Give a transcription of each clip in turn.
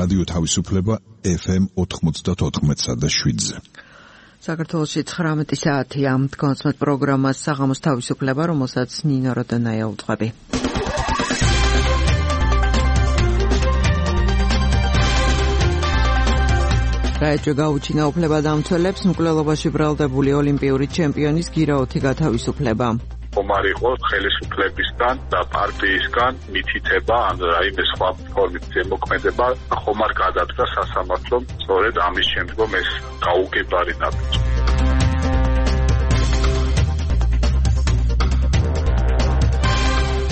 რადიო თავისუფლება FM 94.7-ზე. საქართველოში 19 საათია. კონსმეთ პროგრამას საღამოს თავისუფლება, რომელსაც ნინო როდანაია უძღვები. რაეჭვე გაუჩინა უფლებადამცველებს მკვლელობაში ბრალდებული ოლიმპიური ჩემპიონის გირაოთი გათავისუფლება. ხომარ იყო ხელისუფლებისგან და პარტიისგან მითითება ან რაიმე სხვა ფორმით ზემოქმედება ხომარ გადადგა სასამართლომ სწორედ ამის შემდგომ ეს გაუგებარი ნაბიჯი.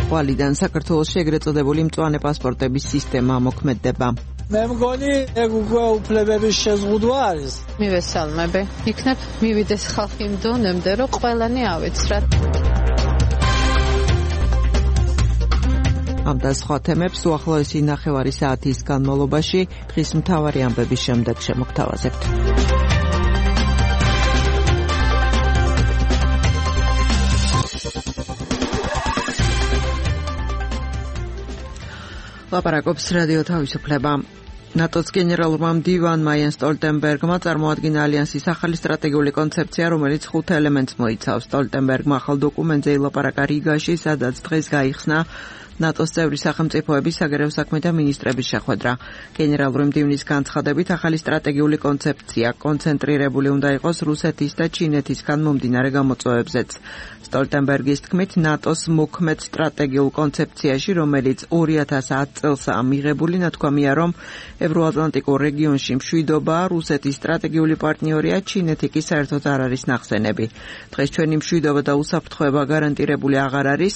ვალიდან საქართველოში ეგრეთ წოდებული მწვანე პასპორტების სისტემა მოქმედება. მე მგონი ეგ უკვე უფლებების შეზღუდვა არის. მივესალმები. იქნებ მივიდეს ხალხი იმ დონემდე, რომ ყველანი ავეცრათ. ამ და სხვა თემებს უახლოესი ნახევარი საათის განმავლობაში დღის მთავარი ამბების შემდეგ შემოგთავაზებთ. ლაპარაკობს რადიო თავისუფლება. ნატოს გენერალურმა მდივანმა იენს სტოლტენბერგმა წარმოადგინა ალიანსის ახალი სტრატეგიული კონცეფცია, რომელიც 5 ელემენტს მოიცავს. სტოლტენბერგმა ახალ დოკუმენტზე ილაპარაკა რიგაში, სადაც დღეს გაიხსნა ნატოს წევრი სახელმწიფოების საგარეო საქმეთა მინისტრების შეხვედრა. გენერალური მდივნის განცხადებით, ახალი სტრატეგიული კონცეფცია კონცენტრირებული უნდა იყოს რუსეთის და ჩინეთისგან მომდინარე გამოწვევებზეც. სტოლტენბერგის თქმით, ნატოს მოქმედ სტრატეგიულ კონცეფციაში, რომელიც 2010 წელსაა მიღებული, ნათქვამია, რომ ევროატლანტიკურ რეგიონში მშვიდობა რუსეთის სტრატეგიული პარტნიორია, ჩინეთი კი საერთოდ არ არის ნახსენები. დღეს ჩვენი მშვიდობა და უსაფრთხოება გარანტირებული აღარ არის.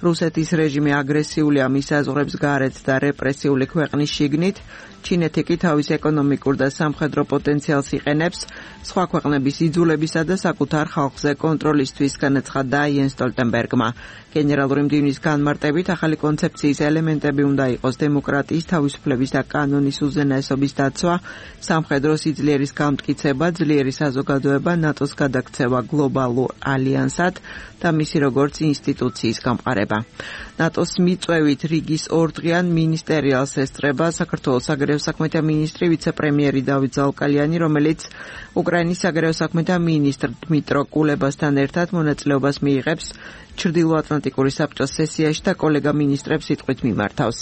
რუსეთის რეჟიმი აგრესიულია მის აზღვრებს გარეთ და რეპრესიული ქვეყნის შიგნით. ჩინეთი კი თავის ეკონომიკურ და სამხედრო პოტენციალს იყენებს სხვა ქვეყნების იძულებისა და საკუთარ ხალხზე კონტროლისთვის, განაცხადა იენს სტოლტენბერგმა. გენერალური მდივნის განმარტებით, ახალი კონცეფციის ელემენტები უნდა იყოს დემოკრატიის, თავისუფლების და კანონის უზენაესობის დაცვა, სამხედრო სიძლიერის გამტკიცება, ძლიერი საზოგადოება, ნატოს გადაქცევა გლობალურ ალიანსად და მისი როგორც ინსტიტუციის გამყარება. ნატოს მიწვევით რიგის ორდღიან მინისტერიალს ესწრება საქართველოს საგარეო საქმეთა მინისტრი ვიცე-პრემიერი დავით ზალკალიანი, რომელიც უკრაინის საგარეო საქმეთა მინისტრ დმიტრო კულებასთან ერთად მონაწილეობას მიიღებს ჩრდილოატლანტიკური საბჭოს სესიაში და კოლეგა მინისტრებს სიტყვით მიმართავს.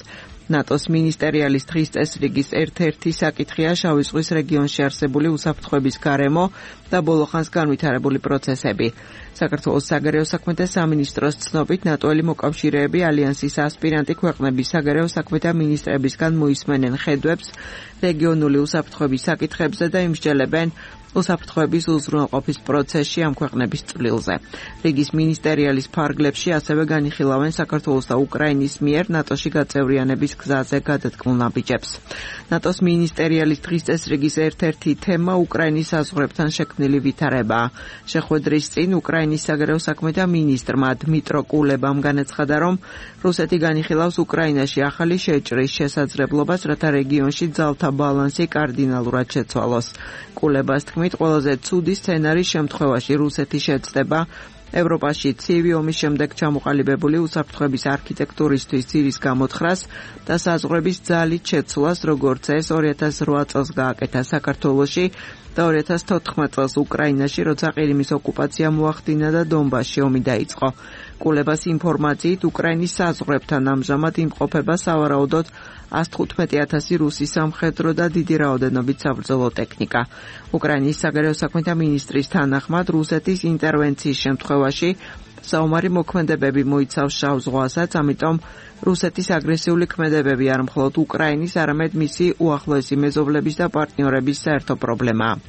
ნატოს მინისტერიალის დღის წესრიგის ერთ-ერთი საკითხია შავი ზღვის რეგიონში არსებული უსაფრთხოების გარემო და ბოლოხანს განვითარებული პროცესები. საქართველოს საგარეო საქმეთა სამინისტროს ცნობით, ნატოელი მოკავშირეები ალიანსის ასპირანტი ქვეყნების საგარეო საქმეთა მინისტრებისგან მოისმენენ ხედვებს რეგიონული უსაფრთხოების საკითხებზე და იმსჯელებენ უსაფრთხოების უზრუნველყოფის პროცესში ამ ქვეყნების წვლილზე. რიგის მინისტერიალის ფარგლებში ასევე განიხილავენ საქართველოს და უკრაინის მიერ ნატოში გაწევრიანების გზაზე გადადგმულ ნაბიჯებს. ნატოს მინისტერიალის დღის წესრიგის ერთ-ერთი თემა უკრაინის საზღვრებთან შექმნილი ვითარებაა. შეხვედრის წინ უკრაინის საგარეო საქმეთა მინისტრმა დმიტრო კულებამ განაცხადა, რომ რუსეთი განიხილავს უკრაინაში ახალი შეჭრის შესაძლებლობას, რათა რეგიონში ძალთა ბალანსი კარდინალურად შეცვალოს. კულებას თქმით, ყველაზე ცუდი სცენარის შემთხვევაში რუსეთი შეცდება ევროპაში ცივი ომის შემდეგ ჩამოყალიბებული უსაფრთხოების არქიტექტურისთვის ძირის გამოთხრას და საზღვრების ძალით შეცვლას, როგორც ეს 2008 წელს გააკეთა საქართველოში და 2014 წელს უკრაინაში, როცა ყირიმის ოკუპაცია მოახდინა და დონბასში ომი დაიწყო. კულებას ინფორმაციით, უკრაინის საზღვრებთან ამჟამად იმყოფება სავარაუდოდ 115,000 რუსი სამხედრო და დიდი რაოდენობით საბრძოლო ტექნიკა. უკრაინის საგარეო საქმეთა მინისტრის თანახმად, რუსეთის ინტერვენციის შემთხვევაში საომარი მოქმედებები მოიცავს შავ ზღვასაც, ამიტომ რუსეთის აგრესიული ქმედებები არ მხოლოდ უკრაინის, არამედ მისი უახლოესი მეზობლების და პარტნიორების საერთო პრობლემაა.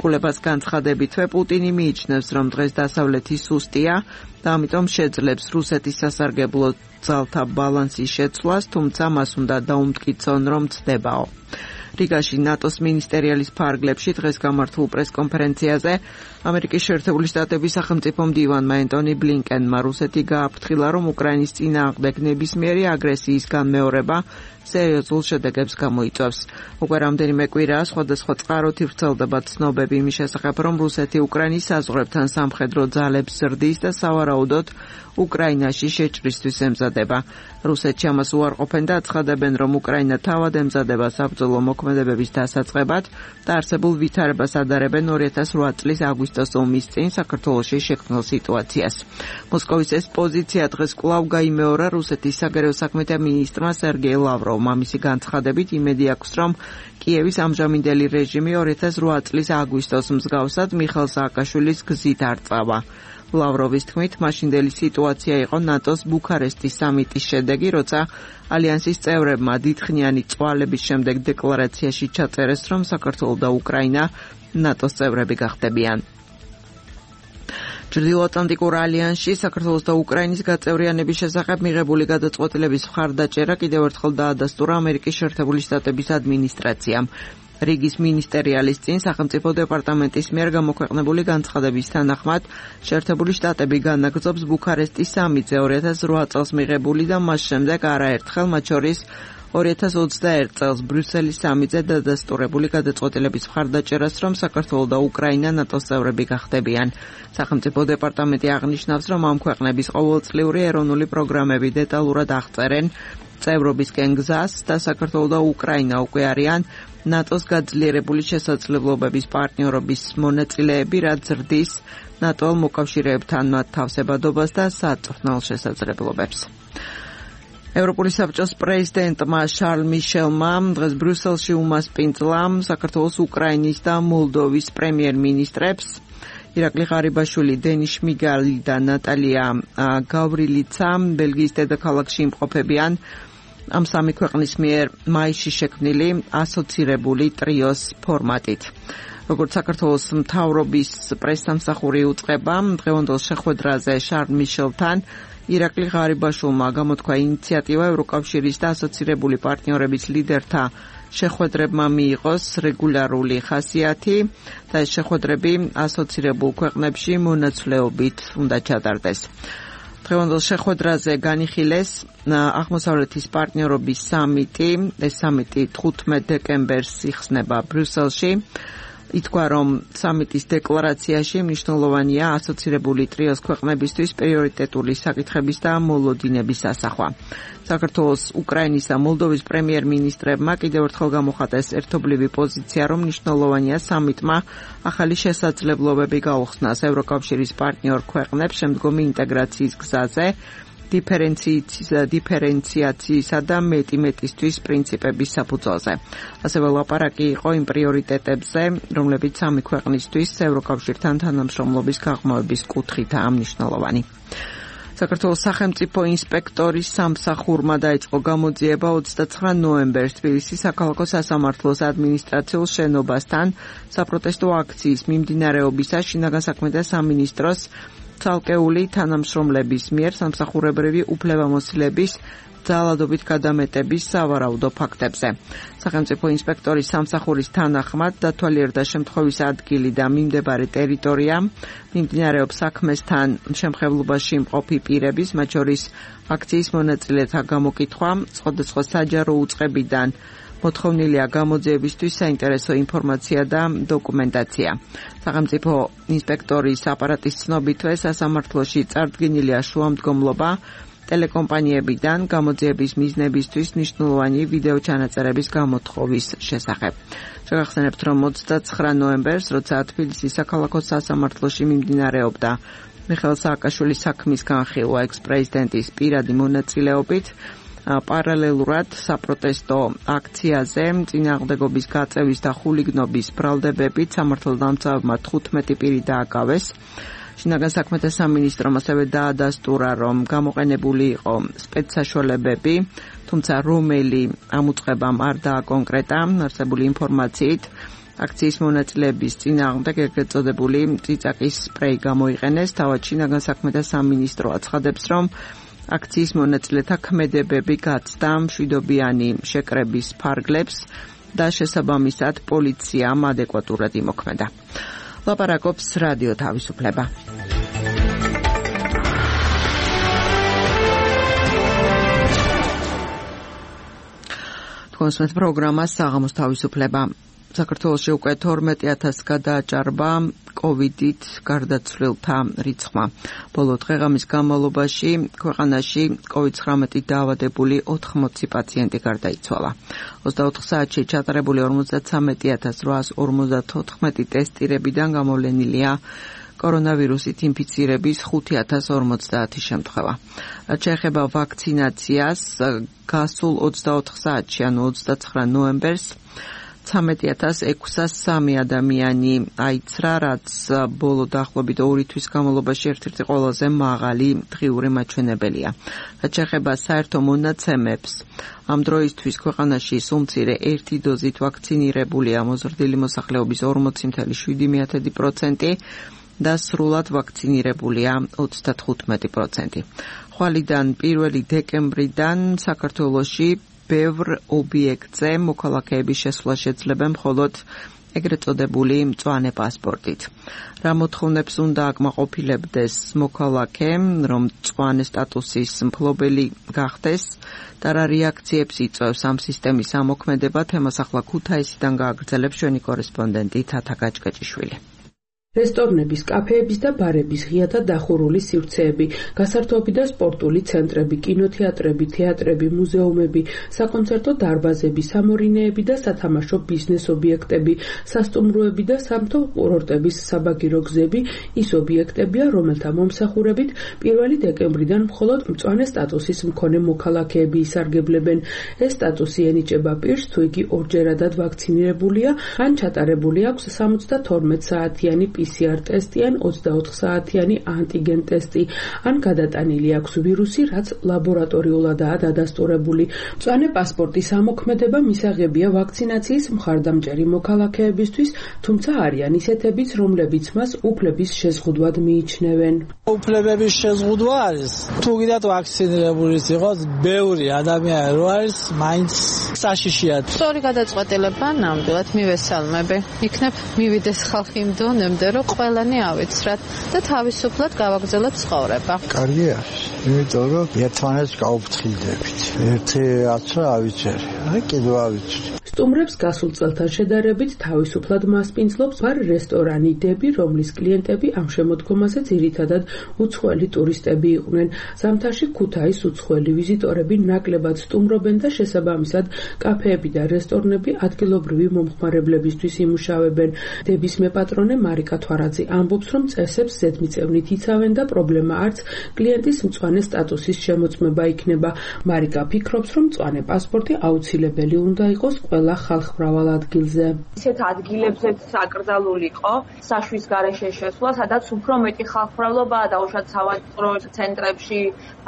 კულებას განცხადებითვე პუტინი მიიჩნევს, რომ დღეს დასავლეთი სუსტია და ამიტომ შეძლებს რუსეთის სასარგებლო ძალთა ბალანსის შეცვლას, თუმცა მას უნდა დაუმტკიცონ, რომ ცდებაო. რიგაში ნატოს მინისტერიალის ფარგლებში დღეს გამართულ პრესკონფერენციაზე ამერიკის შეერთებული შტატების სახელმწიფო მდივანმა ენტონი ბლინკენმა რუსეთი გააფრთხილა, რომ უკრაინის წინააღმდეგ ნებისმიერი აგრესიის განმეორება სერიოზულ შედეგებს გამოიწვევს. უკვე რამდენიმე კვირაა სხვადასხვა წყაროთი ვრცელდება ცნობები იმის შესახებ, რომ რუსეთი უკრაინის საზღვრებთან სამხედრო ძალებს ზრდის და სავარაუდოდ უკრაინაში შეჭრისთვის ემზადება. რუსეთში ამას უარყოფენ და აცხადებენ, რომ უკრაინა თავად ემზადება საბრძოლო მოქმედებას მოქმედებების დასაწყებად და არსებულ ვითარებას ადარებენ 2008 წლის აგვისტოს ომის წინ საქართველოში შექმნილ სიტუაციას. მოსკოვის ეს პოზიცია დღეს კვლავ გაიმეორა რუსეთის საგარეო საქმეთა მინისტრმა სერგეი ლავროვმა. მისი განცხადებით იმედი აქვს, რომ კიევის ამჟამინდელი რეჟიმი 2008 წლის აგვისტოს მსგავსად მიხეილ სააკაშვილის გზით არ წავა. ლავროვის თქმით, მაშინდელი სიტუაცია იყო ნატოს ბუქარესტის სამიტის შედეგი, როცა ალიანსის წევრებმა დიდხნიანი წვალების შემდეგ დეკლარაციაში ჩაწერეს, რომ საქართველო და უკრაინა ნატოს წევრები გახდებიან. ჩრდილოატლანტიკურ ალიანსში საქართველოს და უკრაინის გაწევრიანების შესახებ მიღებული გადაწყვეტილების მხარდაჭერა კიდევ ერთხელ დაადასტურა ამერიკის შეერთებული შტატების ადმინისტრაციამ. რიგის მინისტერიალის წინ სახელმწიფო დეპარტამენტის მიერ გამოქვეყნებული განცხადების თანახმად შეერთებული შტატები განაგრძობს ბუქარესტის სამიტზე 2008 წელს მიღებული და მას შემდეგ არაერთხელ, მათ შორის 2021 წელს ბრიუსელის სამიტზე დადასტურებული გადაწყვეტილების მხარდაჭერას, რომ საქართველო და უკრაინა ნატოს წევრები გახდებიან. სახელმწიფო დეპარტამენტი აღნიშნავს, რომ ამ ქვეყნების ყოველწლიური ეროვნული პროგრამები დეტალურად აღწერენ წევრობისკენ გზას და საქართველო და უკრაინა უკვე არიან ნატოს გაძლიერებული შესაძლებლობების პარტნიორობის მონაწილეები, რაც ზრდის ნატო მოკავშირეებთან მათ თავსებადობას და საწვრთნელ შესაძლებლობებს. ევროპული საბჭოს პრეზიდენტმა შარლ მიშელმა დღეს ბრიუსელში უმასპინძლა საქართველოს, უკრაინის და მოლდოვის პრემიერ-მინისტრებს ირაკლი ღარიბაშვილი, დენის შმიგალი და ნატალია გავრილიცა ბელგიის დედაქალაქში იმყოფებიან ამ სამი ქვეყნის მიერ მაისში შექმნილი ასოცირებული ტრიოს ფორმატით. როგორც საქართველოს მთავრობის პრესსამსახური უწყება, დღევანდელ შეხვედრაზე შარლ მიშელთან ირაკლი ღარიბაშვილმა გამოთქვა ინიციატივა ევროკავშირის და ასოცირებული პარტნიორების ლიდერთა შეხვედრებმა მიიღოს რეგულარული ხასიათი და ეს შეხვედრები ასოცირებულ ქვეყნებში მონაცვლეობით უნდა ჩატარდეს. დღევანდელ შეხვედრაზე განიხილეს აღმოსავლეთის პარტნიორობის სამიტი. ეს სამიტი 15 დეკემბერს იხსნება ბრიუსელში. ითქვა, რომ სამიტის დეკლარაციაში მნიშვნელოვანია ასოცირებული ტრიოს ქვეყნებისთვის პრიორიტეტული საკითხების და მოლოდინების ასახვა. საქართველოს, უკრაინის და მოლდოვის პრემიერ-მინისტრებმა კიდევ ერთხელ გამოხატეს ერთობლივი პოზიცია, რომ მნიშვნელოვანია სამიტმა ახალი შესაძლებლობები გაუხსნას ევროკავშირის პარტნიორ ქვეყნებს შემდგომი ინტეგრაციის გზაზე, დიფერენციაციისა და მეტი-მეტისთვის პრინციპების საფუძველზე. ასევე ლაპარაკი იყო იმ პრიორიტეტებზე, რომლებიც სამი ქვეყნისთვის ევროკავშირთან თანამშრომლობის გაღრმავების კუთხითაა მნიშვნელოვანი. საქართველოს სახელმწიფო ინსპექტორის სამსახურმა დაიწყო გამოძიება 29 ნოემბერს თბილისის საქალაქო სასამართლოს ადმინისტრაციულ შენობასთან საპროტესტო აქციის მიმდინარეობისას შინაგან საქმეთა სამინისტროს ცალკეული თანამშრომლების მიერ სამსახურებრივი უფლებამოსილების ძალადობით გადამეტების სავარაუდო ფაქტებზე. სახელმწიფო ინსპექტორის სამსახურის თანახმად დათვალიერდა შემთხვევის ადგილი და მიმდებარე ტერიტორია, მიმდინარეობს საქმესთან შემხებლობაში მყოფი პირების, მათ შორის აქციის მონაწილეთა გამოკითხვა, სხვადასხვა საჯარო უწყებიდან მოთხოვნილია გამოძიებისთვის საინტერესო ინფორმაცია და დოკუმენტაცია. სახელმწიფო ინსპექტორის აპარატის ცნობითვე სასამართლოში წარდგენილია შუამდგომლობა ტელეკომპანიებიდან გამოძიების მიზნებისთვის მნიშვნელოვანი ვიდეო ჩანაწერების გამოთხოვის შესახებ. შეგახსენებთ, რომ 29 ნოემბერს, როცა თბილისის საქალაქო სასამართლოში მიმდინარეობდა მიხეილ სააკაშვილის საქმის განხილვა ექს-პრეზიდენტის პირადი მონაწილეობით, პარალელურად საპროტესტო აქციაზე წინააღმდეგობის გაწევის და ხულიგნობის ბრალდებებით სამართალდამცავებმა 15 პირი დააკავეს. შინაგან საქმეთა სამინისტრომ ასევე დაადასტურა, რომ გამოყენებული იყო სპეცსაშუალებები, თუმცა რომელი ამ უწყებამ არ დააკონკრეტა არსებული ინფორმაციით. აქციის მონაწილეების წინააღმდეგ ეგრეთ წოდებული წიწაკის სპრეი გამოიყენეს. თავად შინაგან საქმეთა სამინისტრო აცხადებს, რომ აქციის მონაწილეთა ქმედებები გაცდა მშვიდობიანი შეკრების ფარგლებს და შესაბამისად პოლიციამ ადეკვატურად იმოქმედა. ლაპარაკობს რადიო თავისუფლება. თქვენს პროგრამას საღამოს თავისუფლება საქართველოში უკვე 12,000 გადააჭარბა COVID-ით გარდაცვლილთა რიცხვმა. ბოლო დღეღამის განმავლობაში ქვეყანაში COVID-19-ით დაავადებული 80 პაციენტი გარდაიცვალა. 24 საათში ჩატარებული 53,854 ტესტირებიდან გამოვლენილია კორონავირუსით ინფიცირების 5,050 შემთხვევა. რაც შეეხება ვაქცინაციას, გასულ 24 საათში, ანუ 29 ნოემბერს 13,603 ადამიანი აიცრა, რაც ბოლო დაახლოებით 2 თვის განმავლობაში ერთ-ერთი ყველაზე მაღალი დღიური მაჩვენებელია. რაც შეეხება საერთო მონაცემებს, ამ დროისთვის ქვეყანაში სულ მცირე 1 დოზით ვაქცინირებულია მოზრდილი მოსახლეობის 40,7% და სრულად ვაქცინირებულია 35%. ხვალიდან 1 დეკემბრიდან საქართველოში ბევრ ობიექტზე მოქალაქეების შესვლა შეძლება მხოლოდ ეგრეთ წოდებული მწვანე პასპორტით. რა მოთხოვნებს უნდა აკმაყოფილებდეს მოქალაქემ, რომ მწვანე სტატუსის მფლობელი გახდეს და რა რეაქციებს იწვევს ამ სისტემის ამოქმედება, თემას ახლა ქუთაისიდან გააგრძელებს ჩვენი კორესპონდენტი თათა გაჭკეჭიშვილი. რესტორნების, კაფეების და ბარების ღიათა დახურული სივრცეები, გასართობი და სპორტული ცენტრები, კინოთეატრები, თეატრები, მუზეუმები, საკონცერტო დარბაზები, სამორინეები და სათამაშო ბიზნეს ობიექტები, სასტუმროები და სამთო კურორტების საბაგირო გზები ის ობიექტებია, რომელთა მომსახურებით 1 დეკემბრიდან მხოლოდ მწვანე სტატუსის მქონე მოქალაქეები ისარგებლებენ. ეს სტატუსი ენიჭება პირს, თუ იგი ორჯერადად ვაქცინირებულია, ან ჩატარებული აქვს 72 საათიანი PCR ტესტი ან 24 საათიანი ანტიგენ ტესტი, ან გადატანილი აქვს ვირუსი, რაც ლაბორატორიულადაა დადასტურებული. მწვანე პასპორტის ამოქმედება მისაღებია ვაქცინაციის მხარდამჭერი მოქალაქეებისთვის, თუმცა არიან ისეთებიც, რომლებიც მას უფლების შეზღუდვად მიიჩნევენ. უფლებების შეზღუდვა არის. თუ კიდევ ვაქცინირებულის იყოს, ბევრი ადამიანი რო არის, მაინც საშიშია. სწორი გადაწყვეტილება ნამდვილად მივესალმები. იქნებ მივიდეს ხალხი იმ დონემდე, რომ ყველანი ავიცრათ და თავისუფლად გავაგრძელოთ ცხოვრება. კარგი არის, იმიტომ რომ ერთმანეთს გაუფრთხილდებით. ერთი აცრა ავიცერი, აი კიდევ ავიცრი. სტუმრებს გასულ წელთან შედარებით თავისუფლად მასპინძლობს ბარ რესტორანი დები, რომლის კლიენტები ამ შემოდგომაზე ძირითადად უცხოელი ტურისტები იყვნენ. ზამთარში ქუთაის უცხოელი ვიზიტორები ნაკლებად სტუმრობენ და შესაბამისად კაფეები და რესტორნები ადგილობრივი მომხმარებლებისთვის იმუშავებენ. დების მეპატრონე მარიკა თვარაძე ამბობს, რომ წესებს ზედმიწევნით იცავენ და პრობლემა არც კლიენტის მწვანე სტატუსის შემოწმება იქნება. მარიკა ფიქრობს, რომ მწვანე პასპორტი აუცილებელი უნდა იყოს ყველა ხალხმრავალ ადგილზე. ისეთ ადგილებზეც აკრძალული იყო საშვის გარეშე შესვლა, სადაც უფრო მეტი ხალხმრავლობაა დაუშვათ სავაჭრო ცენტრებში,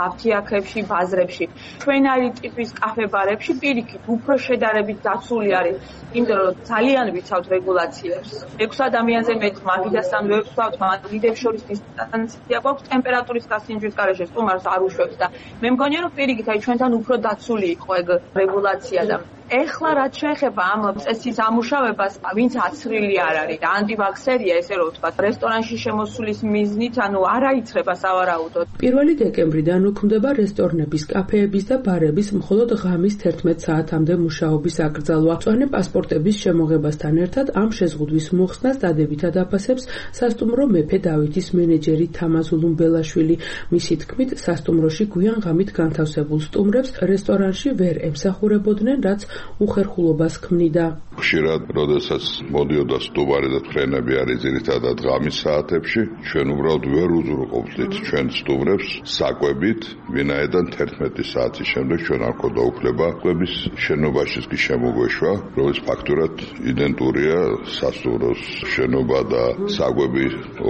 აფთიაქებში, ბაზრებში. ჩვენარი ტიპის კაფე-ბარებში პირიქით უფრო შედარებით დაცული არის, იმიტომ რომ ძალიან ვიცავთ რეგულაციებს. 6 ადამიანზე მეტ მაგიდასთან ვერ ვსვავთ, მაგიდებს შორის დისტანცია გვაქვს, ტემპერატურის გასინჯვის გარეშე სტუმარს არ უშვებს და მე მგონია რომ პირიქით აი ჩვენთან უფრო დაცული იყო ეგ რეგულაცია და ეხლა რაც შეეხება ამ წესის ამუშავებას, ვინც აცრილი არ არის და ანტივაქსერია, ესე რომ ვთქვათ, რესტორანში შემოსulis მიზნით, ანუ არ აიცრება სავარაუდოდ. 1 დეკემბრიდან უქმდება რესტორნების, კაფეების და ბარების მხოლოდ ღამის 11 საათამდე მუშაობის აკრძალვა. მწვანე პასპორტების შემოღებასთან ერთად ამ შეზღუდვის მოხსნას დადებითად აფასებს სასტუმრო მეფე დავითის მენეჯერი თამაზ ულუმბელაშვილი. მისი თქმით, სასტუმროში გვიან ღამით განთავსებულ სტუმრებს რესტორანში ვერ ემსახურებოდნენ, რაც უხერხულობას ქმნიდა. ხშირად, როდესაც მოდიოდა სტუმარი და ფრენები არის ძირითადად ღამის საათებში, ჩვენ უბრალოდ ვერ უზრუნველყოფდით ჩვენ სტუმრებს საკვებით, ვინაიდან 11 საათის შემდეგ ჩვენ არ გვქონდა უფლება კვების შენობაშიც კი შემოგვეშვა, რომლის ფაქტურად იდენტურია სასტუმროს შენობა და საკვები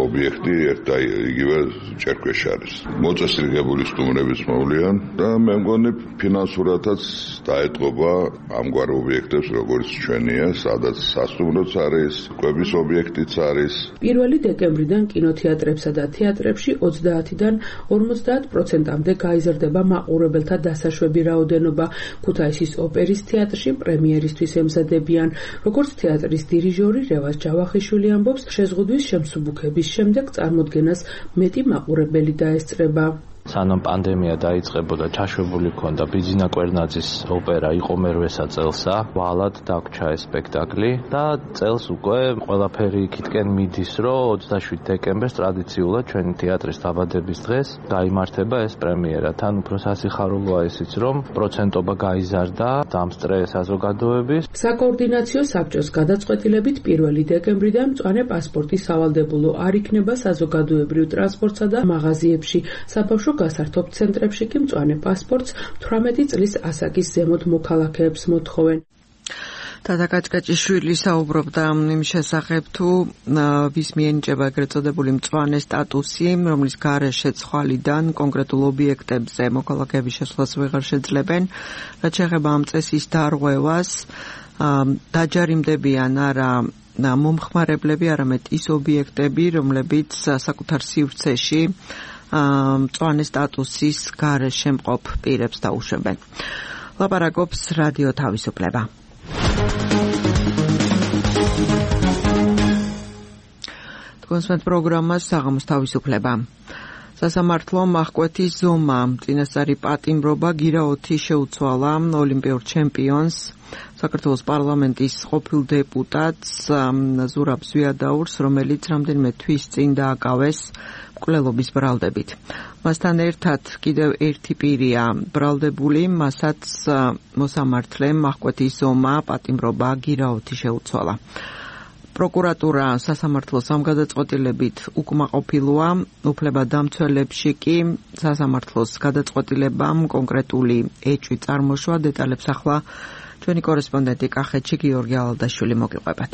ობიექტი ერთ და იგივე ჭერქვეშ არის. მოწესრიგებული სტუმრების მოვლიან და მე მგონი ფინანსურადაც დაეტყობა ამგვარ ობიექტებს, როგორც ჩვენია, სადაც სასტუმროც არის, კვების ობიექტიც არის. 1 დეკემბრიდან კინოთეატრებსა და თეატრებში 30-დან 50%-მდე გაიზრდება მაყურებელთა დასაშვები რაოდენობა. ქუთაისის ოპერის თეატრში პრემიერისთვის ემზადებიან. როგორც თეატრის დირიჟორი რევაზ ჯავახიშვილი ამბობს, შეზღუდვის შემსუბუქების შემდეგ წარმოდგენას მეტი მაყურებელი დაესწრება. სანამ პანდემია დაიწყებოდა, ჩაშვებული ქონდა ბიძინა კვერნაძის ოპერა იყო მერვესა წელსა, ვალად დაგვრჩა ეს სპექტაკლი და წელს უკვე ყველაფერი იქითკენ მიდის, რომ 27 დეკემბერს ტრადიციულად ჩვენი თეატრის დაბადების დღეს გაიმართება ეს პრემიერა. თან უფრო სასიხარულოა ისიც, რომ პროცენტობა გაიზარდა დამსწრე საზოგადოების. საკოორდინაციო საბჭოს გადაწყვეტილებით 1 დეკემბრიდან მწვანე პასპორტი სავალდებულო არ იქნება საზოგადოებრივ ტრანსპორტსა და მაღაზიებში. საბავშვო გასართობ ცენტრებში კი მწვანე პასპორტს 18 წლის ასაკის ზემოთ მოქალაქეებს მოთხოვენ. თათა კაჭკაჭიშვილი საუბრობდა იმ შესახებ, თუ ვის მიენიჭება ეგრეთ წოდებული მწვანე სტატუსი, რომლის გარეშე ცხვალიდან კონკრეტულ ობიექტებზე მოქალაქეების შესვლას ვეღარ შეძლებენ, რაც შეეხება ამ წესის დარღვევას, დაჯარიმდებიან არა მომხმარებლები, არამედ ის ობიექტები, რომლებიც საკუთარ სივრცეში მწვანე სტატუსის გარეშე მყოფ პირებს დაუშვებენ. ლაპარაკობს რადიო თავისუფლება. კონსმეთ პროგრამას საღამოს თავისუფლება. სასამართლო აღკვეთის ზომა წინასწარი პატიმრობა გირაოთი შეუცვალა ოლიმპიურ ჩემპიონს საქართველოს პარლამენტის ყოფილ დეპუტატს ზურაბ ზვიადაურს, რომელიც რამდენიმე თვის წინ დააკავეს მკვლელობის ბრალდებით. მასთან ერთად კიდევ ერთი პირია ბრალდებული, მასაც მოსამართლემ აღკვეთის ზომა პატიმრობა გირაოთი შეუცვალა. პროკურატურა სასამართლოს ამ გადაწყვეტილებით უკმაყოფილოა, უფლებადამცველებში კი სასამართლოს გადაწყვეტილებამ კონკრეტული ეჭვი წარმოშვა. დეტალებს ახლა ჩვენი კორესპონდენტი კახეთში გიორგი ალადაშვილი მოგიყვებათ.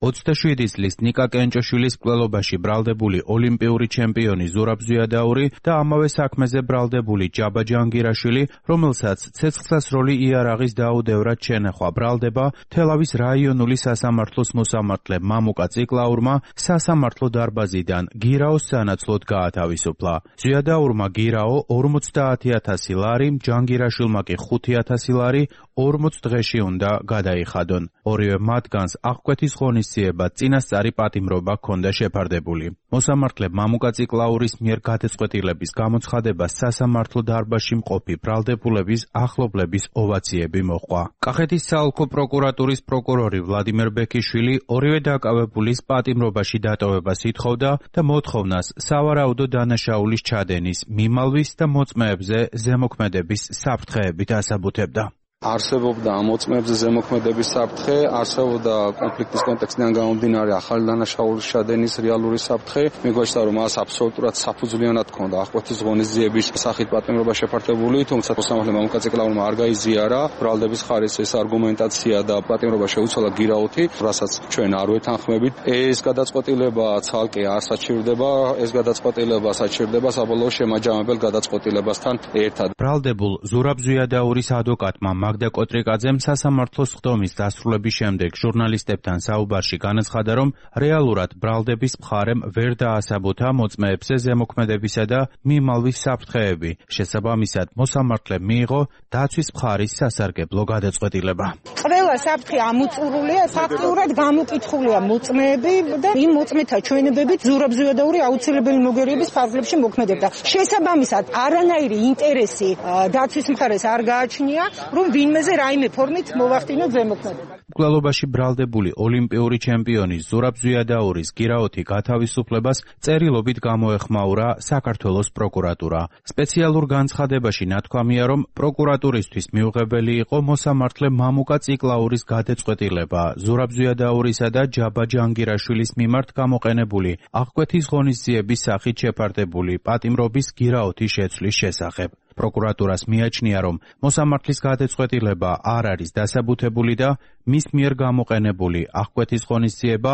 27 წლის ნიკა კენჭოშვილის მკვლელობაში ბრალდებული ოლიმპიური ჩემპიონი ზურაბ ზვიადაური და ამავე საქმეზე ბრალდებული ჯაბა ჯანგირაშვილი, რომელსაც ცეცხლსასროლი იარაღის დაუდევრად შენახვა ბრალდება, თელავის რაიონული სასამართლოს მოსამართლე მამუკა ციკლაურმა სასამართლო დარბაზიდან გირაოს სანაცვლოდ გაათავისუფლა. ზვიადაურმა გირაო 50,000 ლარი, ჯანგირაშვილმა კი 5,000 ლარი 40 დღეში უნდა გადაიხადონ. ორივე მათგანს აღკვეთის ღონისძიება წინასწარი პატიმრობა ჰქონდა შეფარდებული. მოსამართლე მამუკა ციკლაურის მიერ გადაწყვეტილების გამოცხადება სასამართლო დარბაზში მყოფი ბრალდებულების ახლობლების ოვაციები მოჰყვა. კახეთის საოლქო პროკურატურის პროკურორი ვლადიმერ ბექიშვილი ორივე დაკავებულის პატიმრობაში დატოვებას ითხოვდა და მოთხოვნას სავარაუდო დანაშაულის ჩადენის, მიმალვის და მოწმეებზე ზემოქმედების საფრთხეებით ასაბუთებდა. არსებობდა მოწმეებზე ზემოქმედების საფრთხე, არსებობდა კონფლიქტის კონტექსტიდან გამომდინარე ახალი დანაშაულის ჩადენის რეალური საფრთხე. მიგვაჩნდა, რომ მას აბსოლუტურად საფუძვლიანად ჰქონდა აღკვეთის ღონისძიების სახით პატიმრობა შეფართებული, თუმცა მოსამართლე მამუკა ციკლაურმა არ გაიზიარა ბრალდების ხარისხის ეს არგუმენტაცია და პატიმრობა შეუცვალა გირაოთი, რასაც ჩვენ არ ვეთანხმებით. ეს გადაწყვეტილება ცალკე არ საჩივრდება, ეს გადაწყვეტილება საჩივრდება საბოლოო შემაჯამებელ გადაწყვეტილებასთან ერთად. ბრალდებულ ზურაბ ზვიადაურის ადვოკატმა მაგდა კოტრიკაძემ სასამართლოს ხდომის დასრულების შემდეგ ჟურნალისტებთან საუბარში განაცხადა, რომ რეალურად ბრალდების მხარემ ვერ დაასაბოთა მოწმეებზე ზემოქმედებისა და მიმალვის საფრთხეები. შესაბამისად, მოსამართლემ მიიღო დაცვის მხარის სასარგებლო გადაწყვეტილება. ყველა საფრთხე ამოწურულია, ფაქტიურად გამოკითხულია მოწმეები და იმ მოწმეთა ჩვენებებით ზურაბ ზვიადაური აუცილებელი მოგერიების ფარგლებში მოქმედებდა. შესაბამისად, არანაირი ინტერესი დაცვის მხარეს არ გააჩნია, რომ ვინმეზე რაიმე ფორმით მოვახდინოთ ზემოქმედება. მკვლელობაში ბრალდებული ოლიმპიური ჩემპიონი ზურაბ ზვიადაურის გირაოთი გათავისუფლებას წერილობით გამოეხმაურა საქართველოს პროკურატურა. სპეციალურ განცხადებაში ნათქვამია, რომ პროკურატურისთვის მიუღებელი იყო მოსამართლე მამუკა ციკლაურის გადაწყვეტილება ზურაბ ზვიადაურისა და ჯაბა ჯანგირაშვილის მიმართ გამოყენებული აღკვეთის ღონისძიების სახით შეფარდებული პატიმრობის გირაოთი შეცვლის შესახებ. პროკურატურას მიაჩნია, რომ მოსამართლის გადაწყვეტილება არ არის დასაბუთებული და მის მიერ გამოყენებული აღკვეთის ღონისძიება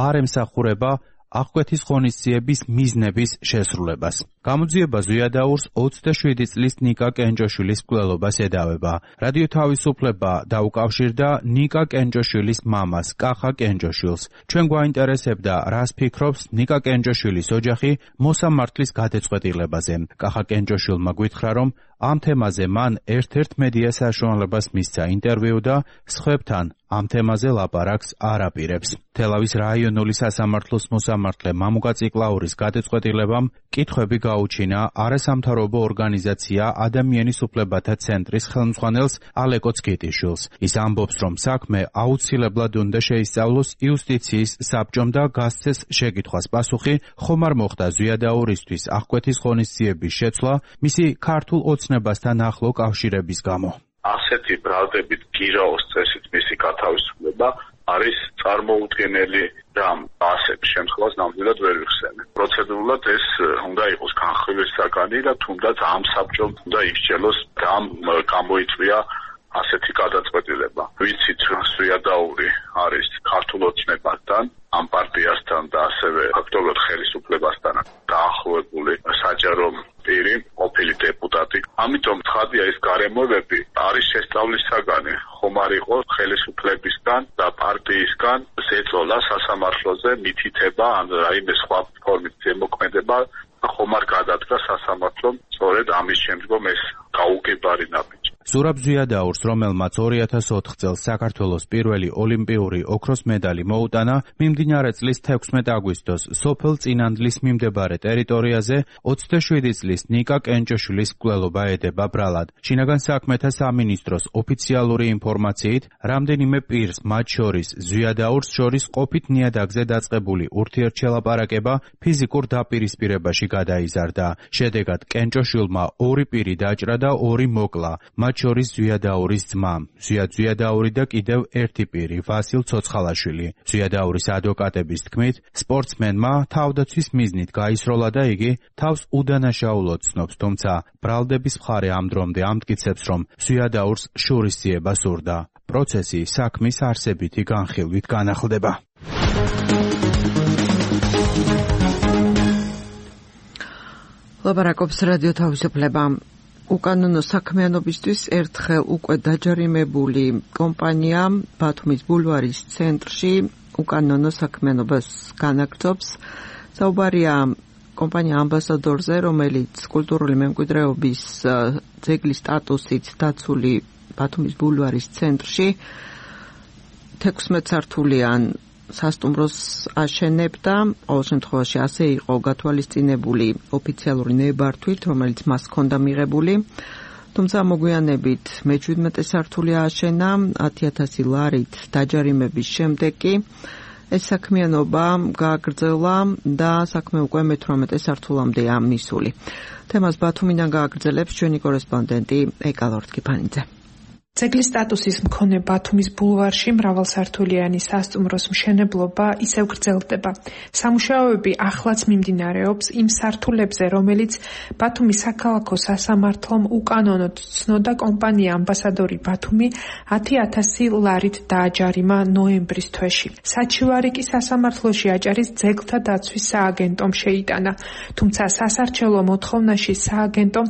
არ ემსახურება აღკვეთის ღონისძიების მიზნების შესრულებას. გამოძიება ზვიადაურს 27 წლის ნიკა კენჭოშვილის მკვლელობას ედავება. რადიო თავისუფლება დაუკავშირდა ნიკა კენჭოშვილის მამას, კახა კენჭოშვილს. ჩვენ გვაინტერესებდა, რას ფიქრობს ნიკა კენჭოშვილის ოჯახი მოსამართლის გადაწყვეტილებაზე. კახა კენჭოშვილმა გვითხრა, რომ ამ თემაზე მან ერთ-ერთ მედია საშუალებას მისცა ინტერვიუ და სხვებთან ამ თემაზე ლაპარაკს არ აპირებს. თელავის რაიონული სასამართლოს მოსამართლე მამუკა ციკლაურის გადაწყვეტილებამ კითხვები გაუჩინა არასამთავრობო ორგანიზაცია ადამიანის უფლებათა ცენტრის ხელმძღვანელს ალეკო ცკიტიშვილს. ის ამბობს, რომ საქმე აუცილებლად უნდა შეისწავლოს იუსტიციის საბჭომ და გასცეს შეკითხვას პასუხი, ხომ არ მოხდა ზვიადაურისთვის აღკვეთის ღონისძიების შეცვლა მისი ქართულ ოცნებასთან ახლო კავშირების გამო. ასეთი ბრალდებით გირაოს წესით მისი გათავისუფლება არის წარმოუდგენელი და ასეთ შემთხვევას ნამდვილად ვერ ვიხსენებ. პროცედურულად ეს უნდა იყოს განხილვის საგანი და თუნდაც ამ საბჭომ უნდა ისჯელოს და გამოიწვია ასეთი გადაწყვეტილება. ვიცით, ზვიადაური არის ქართულ ოცნებასთან, ამ პარტიასთან და ასევე ფაქტობრივად ხელისუფლებასთან დაახლოებული საჯარო პირი, ყოფილი დეპუტატი. ამიტომ ცხადია ეს გარემოებები არის შესწავლის საგანი, ხომ არ იყოს ხელისუფლებისგან და პარტიისგან ზეწოლა სასამართლოზე, მითითება ან რაიმე სხვა ფორმით ზემოქმედება, ხომ არ გადადგა სასამართლომ სწორედ ამის შემდგომ ეს გაუგებარი ნაბიჯი. ზურაბ ზვიადაურს, რომელმაც 2004 წელს საქართველოს პირველი ოლიმპიური ოქროს მედალი მოუტანა, მიმდინარე წლის 16 აგვისტოს სოფელ წინანდლის მიმდებარე ტერიტორიაზე 27 წლის ნიკა კენჭოშვილის მკვლელობა ედება ბრალად. შინაგან საქმეთა სამინისტროს ოფიციალური ინფორმაციით, რამდენიმე პირს, მათ შორის ზვიადაურს შორის ყოფით ნიადაგზე დაწყებული ურთიერთშელაპარაკება ფიზიკურ დაპირისპირებაში გადაიზარდა. შედეგად კენჭოშვილმა 2 პირი დაჭრა და 2 მოკლა. მათ შორის ზვიადაურის ძმა, ზვიადაური და კიდევ 1 პირი, ვასილ ცოცხალაშვილი. ზვიადაურის ადვოკატების თქმით, სპორტსმენმა თავდაცვის მიზნით გაისროლა და იგი თავს უდანაშაულოდ ცნობს, თუმცა ბრალდების მხარე ამ დრომდე ამტკიცებს, რომ ზვიადაურს შურისძიება სურდა. პროცესი საქმის არსებითი განხილვით განახლდება. ლაპარაკობს რადიო თავისუფლება. უკანონო საქმიანობისთვის ერთხელ უკვე დაჯარიმებული კომპანია ბათუმის ბულვარის ცენტრში უკანონო საქმიანობას განაგრძობს. საუბარია კომპანია ამბასადორზე, რომელიც კულტურული მემკვიდრეობის ძეგლის სტატუსით დაცული ბათუმის ბულვარის ცენტრში 16 სართულიან სასტუმროს აშენებდა. ყოველ შემთხვევაში ასე იყო გათვალისწინებული ოფიციალური ნებართვით, რომელიც მას ჰქონდა მიღებული. თუმცა მოგვიანებით მე-17 სართული ააშენა 10,000 ლარით დაჯარიმების შემდეგ კი ეს საქმიანობა გააგრძელა და საქმე უკვე მე-18 სართულამდეა მისული. თემას ბათუმიდან გააგრძელებს ჩვენი კორესპონდენტი ეკა ლორთქიფანიძე. ძეგლის სტატუსის მქონე ბათუმის ბულვარში მრავალსართულიანი სასტუმროს მშენებლობა ისევ გრძელდება. სამუშაოები ახლაც მიმდინარეობს იმ სართულებზე, რომელიც ბათუმის საქალაქო სასამართლომ უკანონოდ ცნოდა კომპანია ამბასადორი ბათუმი 10,000 ლარით დააჯარიმა ნოემბრის თვეში. საჩივარი კი სასამართლოში აჭარის ძეგლთა დაცვის სააგენტომ შეიტანა, თუმცა სასარჩელო მოთხოვნაში სააგენტომ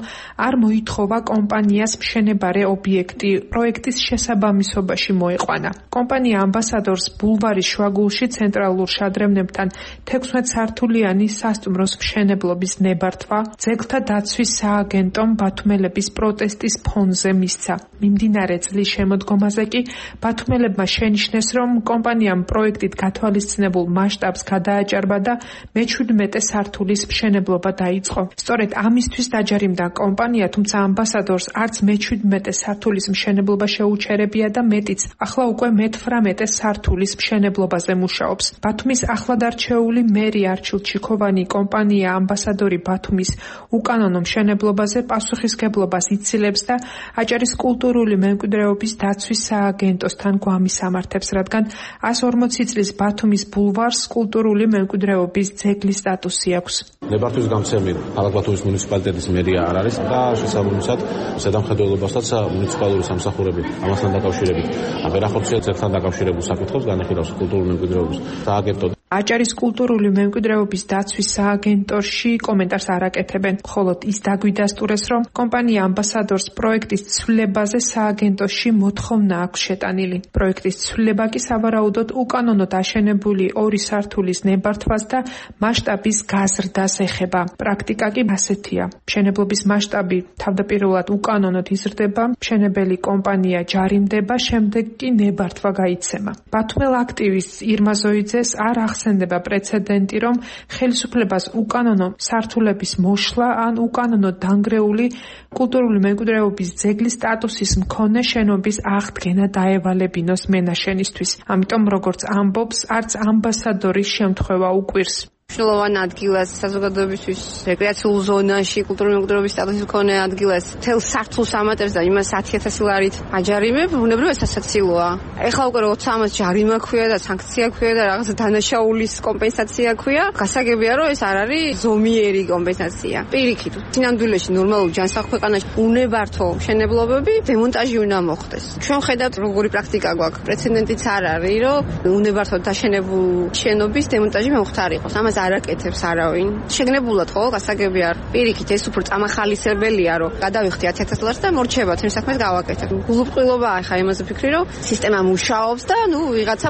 არ მოითხოვა კომპანიას მშენებარე ობიექტი პროექტის შესაბამისობაში მოეყვანა. კომპანია ამბასადორს ბულვარის შუაგულში ცენტრალურ შადრევნებთან 16 სართულიანი სასტუმროს მშენებლობის ნებართვა ძეგლთა დაცვის სააგენტომ ბათუმელების პროტესტის ფონზე მისცა. მიმდინარე წლის შემოდგომაზე კი ბათუმელებმა შენიშნეს, რომ კომპანიამ პროექტით გათვალისწინებულ მასშტაბს გადააჭარბა და მე-17 სართულის მშენებლობა დაიწყო. სწორედ ამისთვის დაჯარიმდა კომპანია, თუმცა ამბასადორს არც მე-17 სართულის მშენებლობა შეუჩერებია და მეტიც, ახლა უკვე მე-18 სართულის მშენებლობაზე მუშაობს. ბათუმის ახლადარჩეული მერი არჩილ ჩიქოვანი კომპანია ამბასადორი ბათუმის უკანონო მშენებლობაზე პასუხისგებლობას იცილებს და აჭარის კულტურული მემკვიდრეობის დაცვის სააგენტოსთან გვამის ამართებს, რადგან 140 წლის ბათუმის ბულვარს კულტურული მემკვიდრეობის ძეგლის სტატუსი აქვს. ნებართვის გამცემი ქალაქ ბათუმის მუნიციპალიტეტის მერია არ არის და შესაბამისად ზედამხედველობასაც მუნიციპალური სამსახურები ამასთან დაკავშირებით ვერ ახორციელებს ერთთან დაკავშირებულ საკითხებს განიხილავს კულტურული მემკვიდრეობის სააგენტო. აჭარის კულტურული მემკვიდრეობის დაცვის სააგენტოში კომენტარს არ აკეთებენ, ხოლო ის დაგვიდასტურეს, რომ კომპანია ამბასადორს პროექტის ცვლილებაზე სააგენტოში მოთხოვნა აქვს შეტანილი. პროექტის ცვლილება კი სავარაუდოდ უკანონოდ აშენებული 2 სართულის ნებართვას და მასშტაბის გაზრდას ეხება. პრაქტიკა კი ასეთია. მშენებლობის მასშტაბი თავდაპირველად უკანონოდ იზრდება, მშენებელი კომპანია ჯარიმდება, შემდეგ კი ნებართვა გაიცემა. ბათუმელ აქტივისტს ირმა ზოიძეს არ ახსენდება პრეცედენტი, რომ ხელისუფლებას უკანონო სართულების მოშლა ან უკანონო დანგრეული კულტურული მემკვიდრეობის ძეგლის სტატუსის მქონე შენობის აღდგენა დაევალებინოს მენაშენისთვის. ამიტომ, როგორც ამბობს, არც ამბასადორის შემთხვევა უკვირს. მნიშვნელოვან ადგილას საზოგადოებისთვის რეკრეაციულ ზონაში კულტურული მემკვიდრეობის სტატუსის მქონე ადგილას თელ სართულს ამატებს და იმას 10,000 ლარით აჯარიმებ, ბუნებრივად სასაცილოა. ეხლა უკვე როცა ამას ჯარიმა ქვია და სანქცია ქვია და რაღაც დანაშაულის კომპენსაცია ქვია, გასაგებია რომ ეს არ არის ზომიერი კომპენსაცია. პირიქით, სინამდვილეში ნორმალურ ჯანსაღ ქვეყანაში უნებართო მშენებლობები დემონტაჟი უნდა მოხდეს. ჩვენ ხედავთ როგორი პრაქტიკა გვაქვს. პრეცედენტიც არ არის, რომ უნებართოდ დაშენებულ შენობის დემონტაჟი მომხდარიყოს. ამას არ აკეთებს არავინ. შეგნებულად ხო, გასაგები არ. პირიქით, ეს უფრო წამახალისებელია, რომ გადავიხდი 10,000 ლარს და მორჩება თემ საქმეს გავაკეთებ. გულუბრყვილობა ახლა იმაზე ფიქრი, რომ სისტემა მუშაობს და ვიღაცა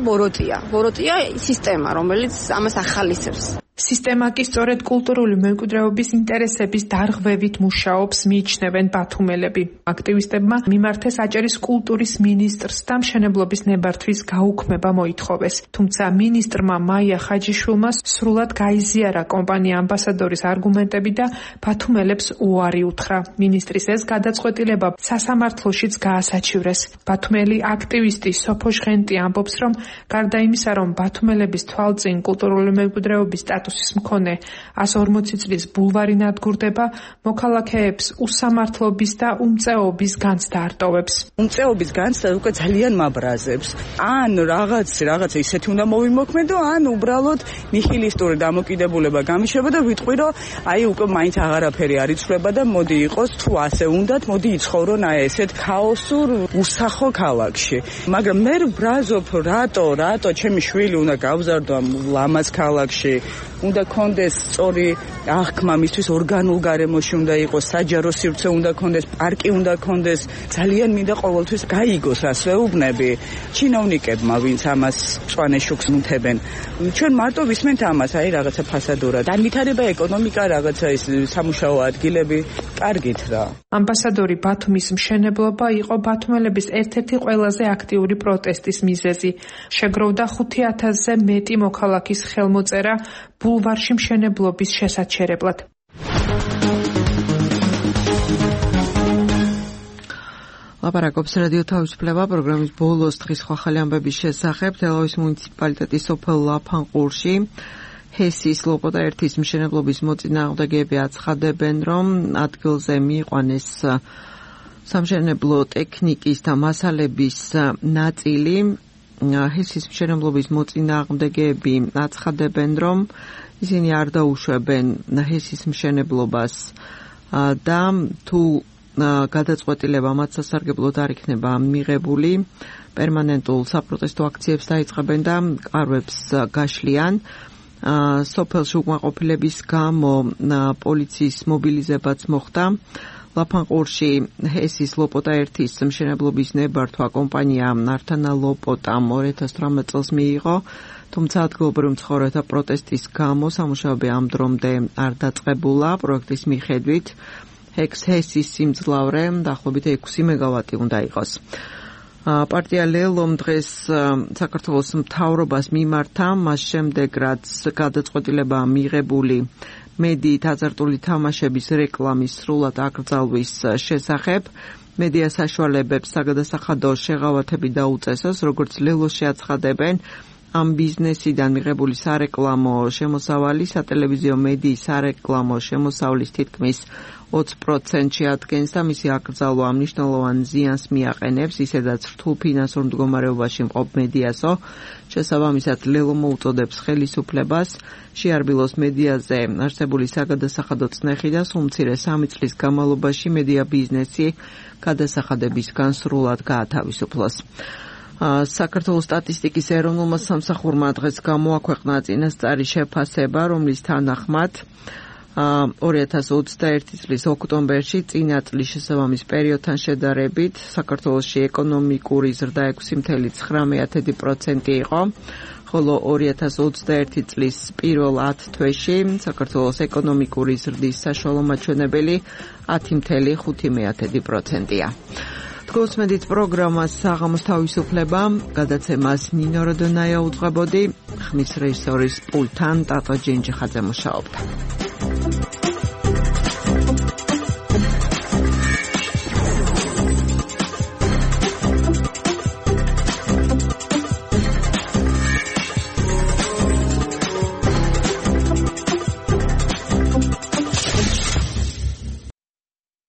ბოროტია სისტემა, რომელიც ამას ახალისებს. სისტემა კი სწორედ კულტურული მემკვიდრეობის ინტერესების დარღვევით მუშაობს, მიიჩნევენ ბათუმელები. აქტივისტებმა მიმართეს აჭარის კულტურის მინისტრს და მშენებლობის ნებართვის გაუქმება მოითხოვეს. თუმცა მინისტრმა მაია ხაჯიშვილმა სრულად გაიზიარა კომპანია ამბასადორის არგუმენტები და ბათუმელებს უარი უთხრა. მინისტრის ეს გადაწყვეტილება სასამართლოშიც გაასაჩივრეს. ბათუმელი აქტივისტი სოფო ჟღენტი ამბობს, რომ გარდა იმისა, რომ ბათუმელების თვალწინ კულტურული მემკვიდრეობის სტატუსის მქონე 140 წლის ბულვარი ნადგურდება, მოქალაქეებს უსამართლობის და უმწეობის განცდა არტოვებს. უმწეობის განცდა უკვე ძალიან მაბრაზებს. ან რაღაცა ისეთი უნდა მოვიმოქმედო, ან უბრალოდ ნიჰილისტური დამოკიდებულება გამიშება და ვიტყვი, რომ აი უკვე მაინც აღარაფერი არ იცვლება და მოდი იყოს, თუ ასე უნდათ, მოდი იცხოვრონ აი ესეთ ქაოსურ უსახო ქალაქში. მაგრამ მე ვბრაზობ, რატო ჩემი შვილი უნდა გავზარდო ამ ლამაზ ქალაქში. უნდა კონდეს სწორი აღქმა, მისთვის ორგანულ გარემოში უნდა იყოს, საჯარო სივრცე უნდა კონდეს, პარკი უნდა კონდეს, ძალიან მინდა ყოველთვის გაიგოს ასეუბნები ჩინოვნიკებმა, ვინც ამას მწვანე შუქს ნუთებენ. ჩვენ მარტო ვისმენთ ამას, აი რაღაცა ფასადურად. განვითარება ეკონომიკა, რაღაცა ის სამუშაო ადგილები, კარგით რა. ამბასადორი ბათუმის მშენებლობა იყო ბათუმელების ერთ-ერთი ყველაზე აქტიური პროტესტის მიზეზი. შეგროვდა 5,000-ზე მეტი მოქალაქის ხელმოწერა ბულვარში მშენებლობის შესაჩერებლად. ლაპარაკობს რადიო თავისუფლება პროგრამის ბოლოს დღის ხალხი ამბების შესახებ. თელავის მუნიციპალიტეტის სოფელ ლაფანყურში ჰესის ლოპოტა 1-ის მშენებლობის მოწინააღმდეგეები აცხადებენ, რომ ადგილზე მიიყვანეს სამშენებლო ტექნიკის და მასალების ნაწილი. ჰესის მშენებლობის მოწინააღმდეგეები აცხადებენ, რომ ისინი არ დაუშვებენ ჰესის მშენებლობას და თუ გადაწყვეტილება მათ სასარგებლოდ არ იქნება მიღებული, პერმანენტულ საპროტესტო აქციებს დაიწყებენ და კარვებს გაშლიან. სოფელში უკმაყოფილების გამო პოლიციის მობილიზებაც მოხდა. ლაფანყურში ჰესის ლოპოტა 1-ის მშენებლობის ნებართვა კომპანია ნართანა ლოპოტამ 2018 წელს მიიღო, თუმცა ადგილობრივ მცხოვრებთა პროტესტის გამო სამუშაოები ამ დრომდე არ დაწყებულა. პროექტის მიხედვით ჰესის სიმძლავრე დაახლოებით 6 მეგავატი უნდა იყოს. პარტია ლელომ დღეს საქართველოს მთავრობას მიმართა, მას შემდეგ რაც გადაწყვეტილება მიღებული მედიით აზარტული თამაშების რეკლამის სრულად აკრძალვის შესახებ. მედია საშუალებებს საგადასახადო შეღავათები დაუწესოს, როგორც ლელოში აცხადებენ, ამ ბიზნესიდან მიღებული სარეკლამო შემოსავალი სატელევიზიო მედიის სარეკლამო შემოსავლის თითქმის 20%-ში ადგენს და მისი აკრძალვა მნიშვნელოვან ზიანს მიაყენებს, ისედაც რთულ ფინანსურ მდგომარეობაში მყოფ მედიასო. შესაბამისად, ლელო მოუწოდებს ხელისუფლებას შეარბილოს მედიაზე არსებული საგადასახადო წნეხი და სულ მცირე 3 წლის განმავლობაში მედია ბიზნესი გადასახადებისგან სრულად გაათავისუფლოს. საქართველოს სტატისტიკის ეროვნულმა სამსახურმა დღეს გამოაქვეყნა წინასწარი შეფასება, რომლის თანახმად 2021 წლის ოქტომბერში წინა წლის შესაბამის პერიოდთან შედარებით საქართველოში ეკონომიკური ზრდა 6.9% იყო, ხოლო 2021 წლის პირველ 10 თვეში საქართველოს ეკონომიკური ზრდის საშუალო მაჩვენებელი 10.5%-ია. თქვენს პროგრამას საღამოს თავისუფლება, გადაცემას ნინო როდონაია უძღვებოდი, ხმის რეჟისორის პულტთან ტატო ჯინჯიხაძე მუშაობდა.